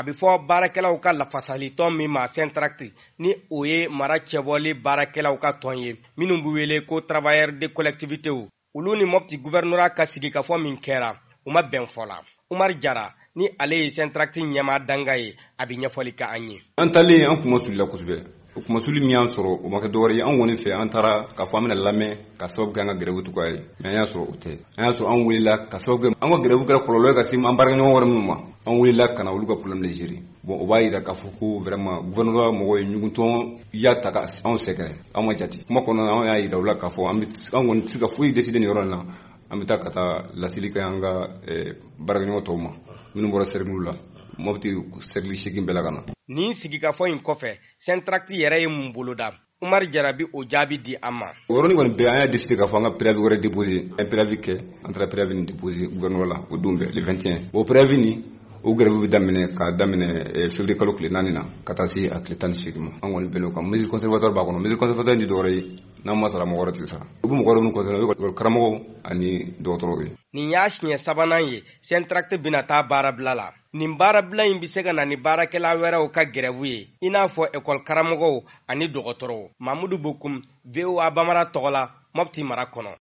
A bɛ fɔ baarakɛlaw ka lafasalitɔn min ma Syntract, ni o ye mara cɛbɔli baarakɛlaw ka tɔn ye minnu bɛ wele ko travailleurs de collectivités, olu ni Mɔpti gouvernorat ka sigikafɔ min kɛra, u ma bɛn fɔ la. Umar Jara, ni ale ye Syntract ɲɛmaa danga ye, a bɛ ɲɛfɔli kɛ an ye. An taalen, an kunmasulila kosɛbɛ. O kunmasuli min y'an sɔrɔ, o ma kɛ dɔwɛrɛ ye. An kɔni fɛ, an taara k'a fɔ an bɛna lamɛn ka sababu kɛ an ka grève cogoya ye, mais an y'a sɔrɔ o tɛ. An y'a sɔrɔ an welela ka sababu kɛ an ka grève kɛra kɔlɔlɔ ye ka se an baarakɛɲɔgɔn wɛrɛ minnu ma, an welela ka na olu ka problème de gérer. Bon, o b'a yira k'a fɔ ko vraiment gouvernorat mɔgɔw ye ɲugutɔn ya ta ka anw sɛgɛrɛ. An ma jate kuma kɔnɔna na. An y'a yira u la k'a fɔ an kɔni tɛ se ka foyi décider nin yɔrɔ in na. An bɛ taa ka taa laseli kɛ an ka baarakɛɲɔgɔn tɔw ma minnu bɔra cercle la, Mɔpti cercle 8 bɛɛ la ka na. Nin sigikafɔ in kɔfɛ, Syntract yɛrɛ ye mun boloda? Umar Jara bi o jaabi di an ma. O yɔrɔnin kɔni bɛɛ, an y'a décidé k'a fɔ an ka préavis wɛrɛ déposé. An ye préavis kɛ, an taara préavis nin déposé gouvernement la o don bɛɛ, le 21. O préavis nin, o grève bɛ daminɛ k'a daminɛ février kalo tile 4 na ka taa se a tile 18 ma. An kɔni bɛn'o kan. Mesure conservatoire b'a kɔnɔ. Mesure conservatoire in tɛ dɔwɛrɛ ye, n'an ma sara, mɔgɔ wɛrɛ tɛ sara. U bɛ mɔgɔ wɛrɛ minnu concerné, o ye karamɔgɔw ani dɔgɔtɔrɔw ye. Nin y'a siɲɛ sabanan ye Syntract bɛna taa baarabila la. Nin baarabila in bɛ se ka na ni baarakɛla wɛrɛw ka grève ye, i n'a fɔ ekɔli karamɔgɔw ani dɔgɔtɔrɔw. Mamudu Bokum, VOA Bamara tɔgɔ la, Mɔpti mara kɔnɔ.